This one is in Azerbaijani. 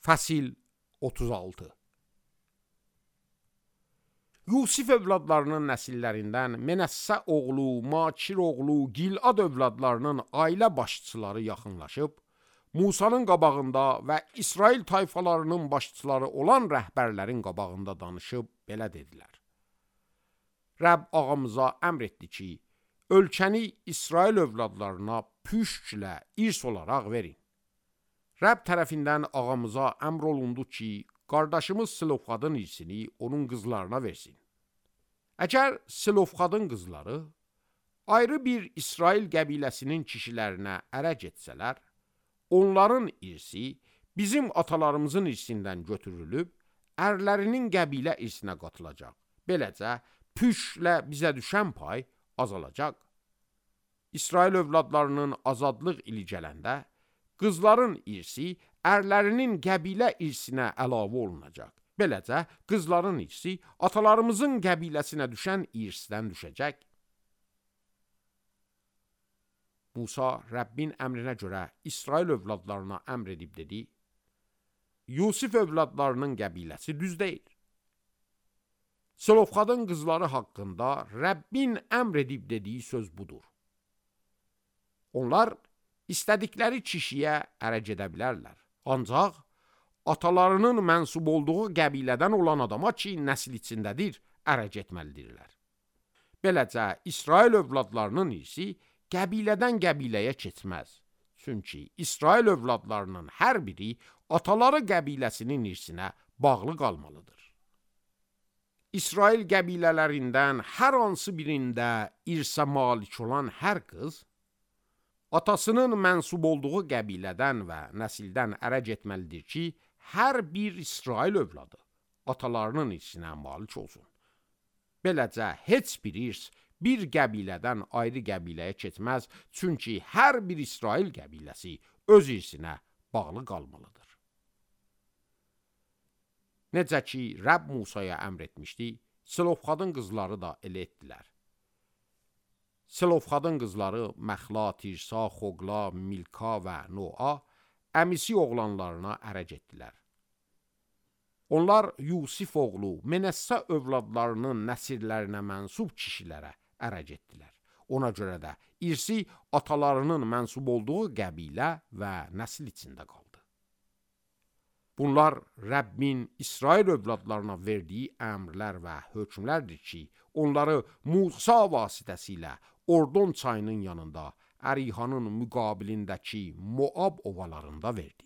Fəsil 36. Yusif övladlarının nəsillərindən Menəssə oğlu, Makir oğlu, Gilad övladlarının ailə başçıları yaxınlaşıb, Musanın qabağında və İsrail tayfalarının başçıları olan rəhbərlərin qabağında danışıb belə dedilər. Rəbb ağamıza əmr etdi ki, ölkəni İsrail övladlarına püşklə irs olaraq verin. Rəbb tərəfindən ağamıza əmr olundu ki, qardaşımız Silofxadın irsini onun qızlarına versin. Əgər Silofxadın qızları ayrı bir İsrail qəbiləsinin kişilərinə ərə getsələr, onların irsi bizim atalarımızın irsindən götürülüb, ərlərinin qəbilə irsinə qatılacaq. Beləcə, püşklə bizə düşən pay azalacaq. İsrail övladlarının azadlıq ili gələndə, qızların irsi ərlərinin qəbilə irsinə əlavə olunacaq. Beləcə, qızların irsi atalarımızın qəbiləsinə düşən irsdən düşəcək. Musa Rəbbin əmrinə görə İsrail övladlarına əmr edib dedi, Yusif övladlarının qəbiləsi düz deyil. Silofxadın qızları haqqında Rəbbin əmr edib dediyi söz budur. Onlar istədikləri kişiyə ərə gedə bilərlər. Ancaq atalarının mənsub olduğu qəbilədən olan adama ki, nəsil içindədir, ərə getməlidirlər. Beləcə, İsrail övladlarının irsi qəbilədən qəbiləyə keçməz. Çünki İsrail övladlarının hər biri ataları qəbiləsinin irsinə bağlı qalmalıdır. İsrail qəbilələrindən hər hansı birində irsə malik olan hər qız, atasının mənsub olduğu qəbilədən və nəsildən ərə getməlidir ki, hər bir İsrail övladı atalarının irsinə malik olsun. Beləcə, heç bir irs bir qəbilədən ayrı qəbiləyə keçməz, çünki hər bir İsrail qəbiləsi öz irsinə bağlı qalmalıdır. Necə ki, Rəbb Musaya əmr etmişdi, Silofxadın qızları da elə etdilər. Silofxadın qızları Məxla, Tirsa, Xoqla, Milka və Noa əmisi oğlanlarına ərə getdilər. Onlar Yusif oğlu Menəssə övladlarının nəsillərinə mənsub kişilərə ərə getdilər. Ona görə də irsi atalarının mənsub olduğu qəbilə və nəsil içində qaldı. Bunlar Rəbbin İsrail övladlarına verdiyi əmrlər və hökmlərdir ki, onları Musa vasitəsilə Ordon çayının yanında Ərihanın müqabilindəki Moab ovalarında verdi.